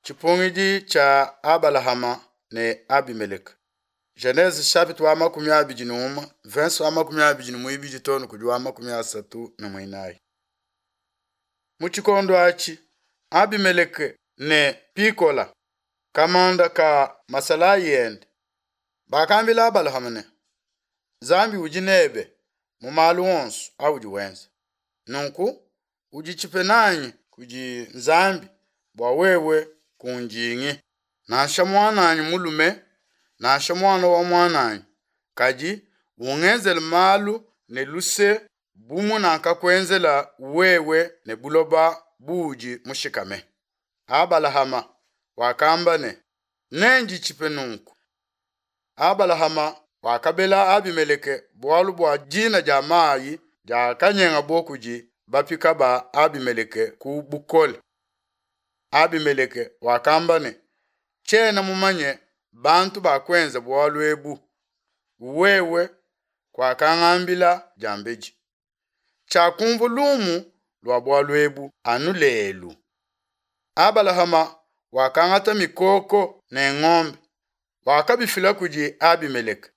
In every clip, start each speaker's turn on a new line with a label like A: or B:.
A: Tshipungidi tshia Abalahama ne Abimeleke. Genese chapitre wa 21, verse wa 22 too ne kudi wa 34. Mu tshikondo atshi, Abimeleke ne Pikola, kamanda ka masalayi ende, bakambila Abalahama ne, Nzambi udi nebe mu malu onso audi wenza. Nunku uditshipe nanyi kudi Nzambi bua wewe kundingi, nansha muananyi mulume, nansha muana wa muananyi, kadi ungenzele malu ne luse bu munakakuenzela wewe ne buloba buudi mushikame. Abalahama wakamba ne, Nenditshipe nunku. Abalahama wakabela Abimeleke bualu bua dina dia mayi diakanyengabo kudi bapika ba Abimeleke ku bukole. Abimeleke wakamba ne, Tshiena mumanye bantu bakuenza bualu ebu, wewe kuakangambila diambedi. Tshiakumvua lumu lua bualu ebu anu lelu. Abalahama wakangata mikoko ne ngombe, wakabifila kudi Abimeleke.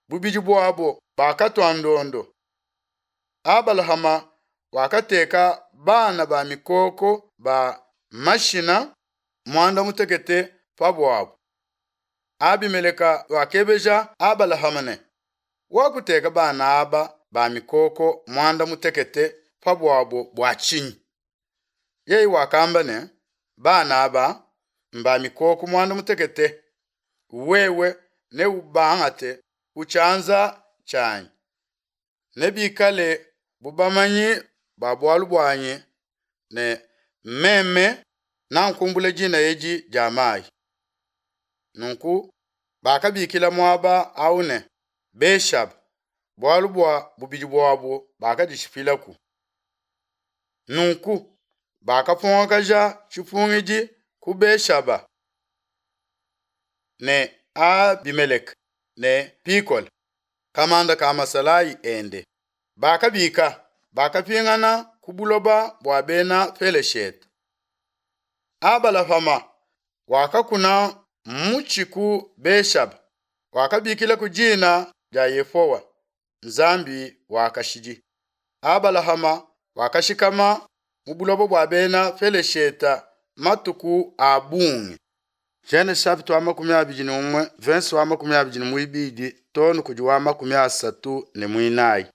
A: Bubidi buabo bakatua ndondo. Abalahama wakateka bana ba mikoko ba mashina muanda mutekete pa buabo. Abimeleka wakebeja Abalahama ne, Wakuteka bana aba ba mikoko muanda mutekete pa buabo bua tshinyi? Yeye wakamba ne, Bana aba mba mikoko muanda mutekete, wewe neubangate ku tshianza tshianyi, nebikale bu bamanyi ba bualu buanyi ne, Meme nankumbula dina edi dia mayi. Nunku bakabikila muaba au ne, Be-shaba, bualu bua bubidi buabo bakaditshipilaku. Nunku bakapongakaja tshipungidi ku Be-shaba ne Abimeleke ne Pikola, kamanda ka masalayi ende. Bakabika, bakapingana ku buloba bua bena Peleshete. Abalahama wakakuna mutshi ku Be-shaba, wakabikila ku dina dia Yehowa, Nzambi wa kashidi. Abalahama wakashikama mu buloba bua bena Peleshete matuku a bungi. Genese chapitre wa 21, verse wa 22 too ne kudi wa 34.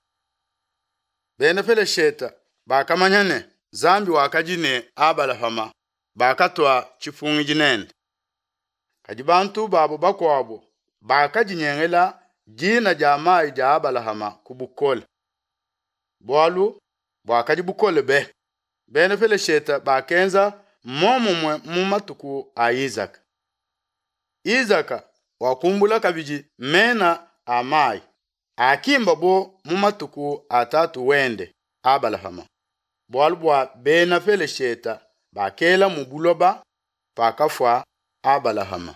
A: Bena Peleshete bakamanya ne, Nzambi wakadi ne Abalahama, bakatua tshipungidi nende. Kadi bantu babo bakuabo bakadinyengela dina dia mayi dia Abalahama ku bukole. Bualu buakadi bukole be. Bena Peleshete bakenza muomumue mu matuku a Isaka. Isaka wakumbula kabidi mena a mayi akimbabo mu matuku a tatu wende Abalahama, bualu bua Bena Peleshete bakela mu buloba pakafua Abalahama.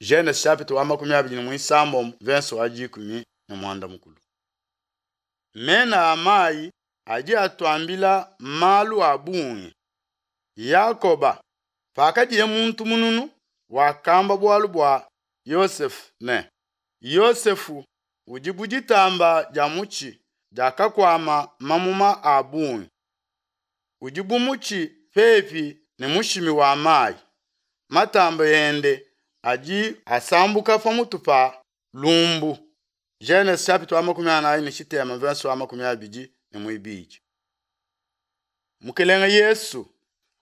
A: Genese chapitre wa 29 verse wa 15. Mena a mayi adi atuambila malu a bungi. Yakoba, pakadiye muntu mununu, wakamba bualu bua Yosefe ne, Yosefu udi bu ditamba dia mutshi diakakuama mamuma a bungi, udi bu mutshi pepi ne mushimi wa mayi, matamba ende adi asambuka pamutu pa lumbu. Genese chapitre wa 43 verse wa 22. Mukelenge Yesu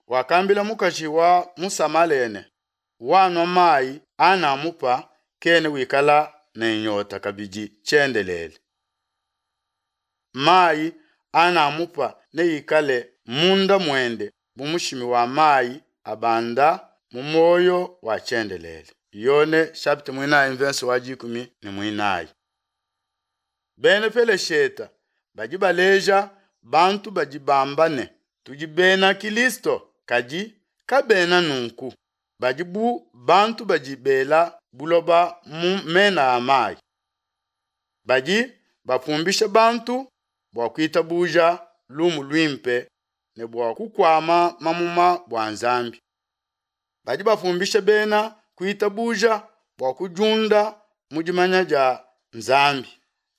A: wakambila mukaji wa mu Samalea ne, Wanua mayi anamupa kena wikala ne nyota kabidi tshiendelele. Mayi anamupa neikale munda muende bu mushimi wa mayi abanda mu muoyo wa tshiendelele. Yone chapitre muinayi verse wa 14. Bena Peleshete badi baleja bantu badi bamba ne, tudi bena Kilisto, kadi kabena nunku. Badi bu bantu badi bela buloba mu mena a mayi. Badi bapumbisha bantu bua kuitabuja lumu luimpe ne bua kukuama mamuma bua Nzambi. Badi bapumbisha bena kuitabuja bua kudiunda mu dimanya dia Nzambi.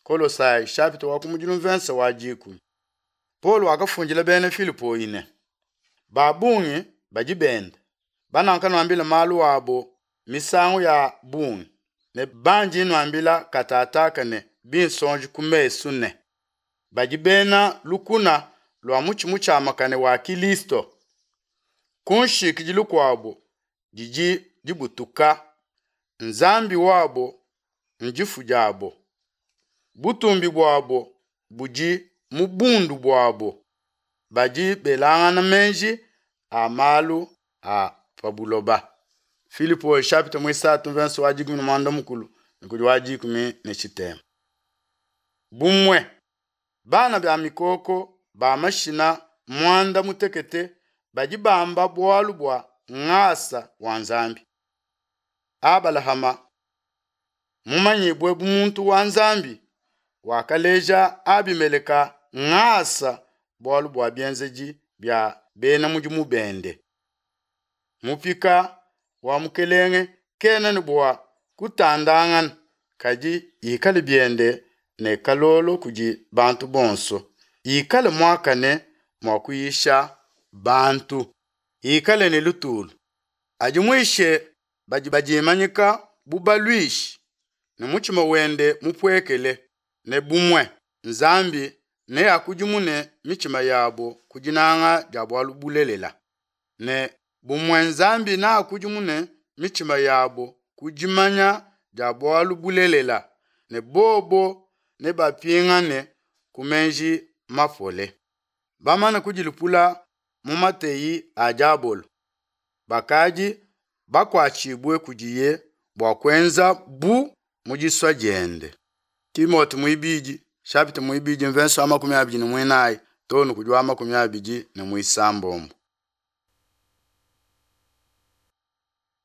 A: Kolosai chapitre wa kumudilu mvensa wa 10. Paulo wakafundila bena Filipoi ne, ba bungi badi benda banankanuambila malu abo misangu ya bungi ne bandi nuambila katataka ne binsonji ku mesu ne badi bena lukuna lua mutshi mutshiamakane wa Kilisto. Ku nshikidilu kuabo didi dibutuka, Nzambi wabo ndifu diabo, butumbi buabo budi mu bundu buabo, badi belangana meji a malu a pa buloba. Filipo chapitre muisatu verse wa 13 ne kudi wa 13. Bumue bana ba mikoko ba mashina mwanda mutekete badi bamba bualu bua ngasa wa Nzambi. Abalahama mumanyibue bu muntu wa Nzambi wakaleja Abimeleka ngasa bualu bua bienzedi bia bena mudimu bende. Mupika wa mukelenge kena ne bua kutandangana, kadi ikale biende ne kalolo kudi bantu bonso, ikale muakane mua kuyisha bantu, ikale ne lutulu, adimuishe badi badimanyika bu baluishi ne mutshima wende mupuekele, ne bumue Nzambi neakudimune mitshima yabo ku dinanga dia bualu bulelela, ne bumue Nzambi neakudimune mitshima yabo ku dimanya dia bualu bulelela, ne bobo nebapingane ku meji mapole. Bamane kudilupula mu mateyi a diabolo, bakadi bakuatshibue kudiye bua kuenza bu mu disua diende. Timote muibidi chapitre muibidi mvenso wa 24 too ne kudi wa 26.